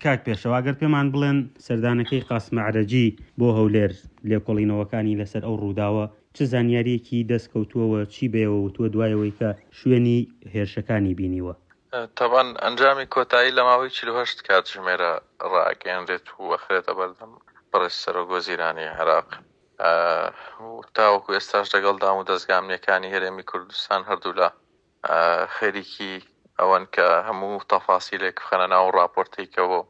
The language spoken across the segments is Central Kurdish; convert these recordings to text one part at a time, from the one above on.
کاک پێشەوا گەر پێمان بڵێن سەردانەکەی قاسم ئەعرەجی بۆ هەولێر، لێکۆڵینەوەکانی لەسەر ئەو ڕووداوە چ زانیارییەکی دەست کەوتووە و چی بەێوە وتووە دوای ئەوەی کە شوێنی هێرشەکانی بینیوە؟ تەبعەن ئەنجامی کۆتایی لە ماوەی 48 کاتژمێرە ڕائەگەیەنرێت و ئەخرێتە بەردەم بەڕێز سەرۆک وەزیرانی عێراق و تاوەکو ئێستاش لەگەڵ دامودەزگا ئەمنییەکانی هەرێمی کوردستان هەردوولا خەریکی ئەوەن کە هەموو تەفاسیلێک بخەنە ناو ڕاپۆرتەی کە بۆ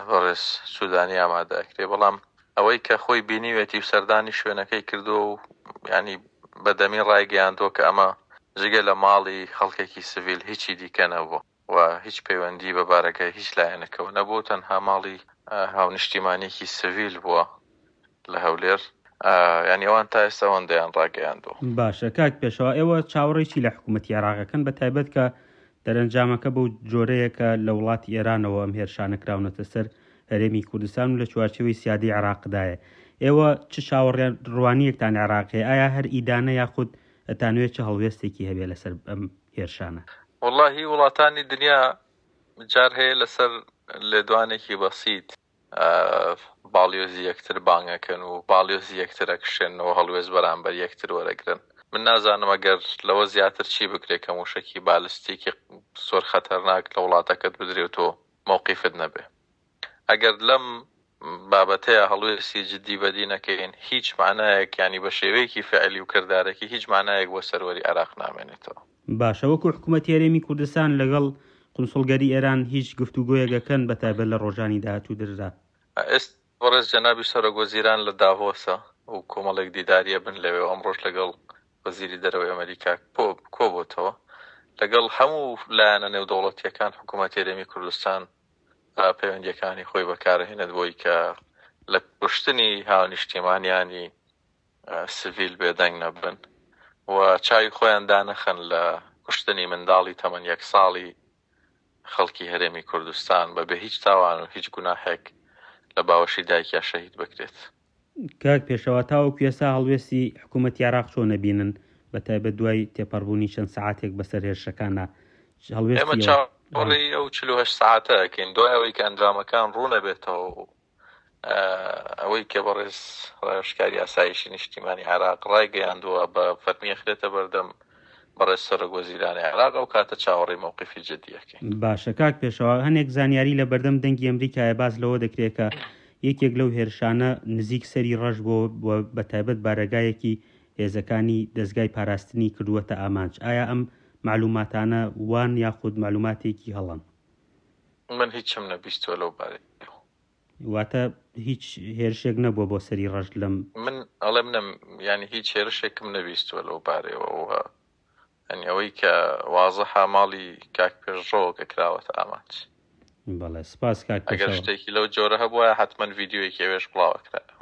بەڕێز سوودانی ئامادە ئەکرێ بەڵام ئەوەی کە خۆی بینیوێتی و سەردانی شوێنەکەی کردووە و ینی بەدەمی ڕایگەیاندووە کە ئەمە جگە لە ماڵی خەڵکێکی سڤیل هیچی دیکە نەبووە و هیچ پەیوەندی بە بارەگای هیچ لایەنەکەوە نەبوو تەنها ماڵی هاونیشتیمانێکی سڤیل بووە لە هەولێر یانی ئەوان تا ئێستا ئەوەندەیان ڕاگەیاندووە. باشە کاک پێشەوا ئێوە چاوەڕێی چی لە حکوومەتی عێراق ئەکەن بە تایبەت کە دەرەنجامەکە بەو جۆرەیە کە لە وڵاتی ئێرانەوە ئەم هێرشانە کراونەتە سەر هەرێمی کوردستان و لە چوارچێوەی سیادەی عێراقدایە ئێوە چ چاوەڕوانییەکتان لە عێراق هەیە ئایا هەر ئیدانە یاخود ئەتانەوێت چ هەڵوێستێکی هەبێ لەسەر ئەم هێرشانە؟ وەڵاهی وڵاتانی دنیا جار هەیە لەسەر لێدوانێکی بەسیت باڵیۆزی یەکتر بانگ ئەکەن و باڵیۆزی یەکتر ئەکشێننەوە هەڵوێست بەرامبەر یەکتر وەرەگرن. من نازانم ئەگەر لەوە زیاتر چی بکرێ کە موشەکی بالستیکی زۆر خەتەرناک لە وڵاتەکەت بدرێ و تۆ مەوقیفت نەبێ. ئەگەر لەم بابەتەیا هەڵوێستی جدی بەدی نەکەین هیچ مەعنایەک یانی بە شێوەیەکی فعلی و کردارەکی هیچ مەعنایەک بۆ سەروەری عێراق نامێنێتەوە. باشە وەکو حکومەتی هەرێمی کوردستان لەگەڵ قونسوڵگەری ئێران هیچ گفتوگۆیەک ئەکەن بەتایبەت لە ڕۆژانی داهاتوودردا؟ ئێستا بەڕێز جەنابی سەرۆک وەزیران لە داڤۆسە و کۆمەڵێک دیداری ئەبن لەوێ و ئەمڕۆش لەگەڵ وەزیری دەرەوەی ئەمەریکا کۆبۆتەوە. لەگەڵ هەموو لایەنە نێودەوڵەتییەکان حکومەتی هەرێمی کوردستان پەیوەندییەکانی خۆی بەکارئەهێنێت بۆی کە لە کوشتنی هاونیشتیمانیانی سڤیل بێدەنگ نەبن و چاوی خۆیان دانەخەن لە کوشتنی منداڵی تەمەن یەک ساڵی خەڵکی هەرێمی کوردستان بە بێ هیچ تاوان و هیچ گوناحێک لە باوەشی دایکیا شەهید بکرێت. کاک پێشەوا تاوەکو ئێستا هەڵوێستی حکوومەتی عێراق چۆن ئەبینن بە تایبەت دوای تێپەڕبوونی چەند سەعاتێک بەسەر هێرشەکانا هەڵوێستی ئێمە چاوەڕێی ئەو 48 سەعاتە ئەکەین دوای ئەوەی کە ئەنجامەکان ڕوون ئەبێتەوە و ئەوەی کە بەڕێز ڕاوێژکاری ئاسایشی نیشتیمانی عێراق ڕایگەیاندووە بە فەرمی ئەخرێتە بەردەم بەڕێز سەرۆک وەزیرانی عێراق ئەو کاتە چاوەڕێی مەوقیفی جدی ئەکەین. باشە کاک پێشەوا هەنێک زانیاری لە بەردەم دەنگی ئەمریکایە باس لەوە دەکرێت کە یەکێک لەو هێرشانە نزیک سەری ڕەش بۆ و بە تایبەت بارەگایەکی هێزەکانی دەزگای پاراستنی کردووەتە ئامانج ئایا ئەم مەعلوماتانە وان یاخود مەعلوماتێکی هەڵەن؟ من هیچم نەبیستووە لەو بارەیەوە. واتە هیچ هێرشێک نەبووە بۆ سەری ڕەش لەم. من ئەڵێم نەم یانی هیچ هێرشێکم نەبیستووە لەو بارەیەوە و یانی ئەوەی کە وازحە ماڵی کاک پێشڕەوە کە کراوەتە ئامانج. بەڵێ سپاس کاک ئەگەر پێشەوا. شتێکی لەو جۆرە هەبوایە حەتمەن ڤیدیۆیەکی ئەوێش بڵاو ئەکرایەوە.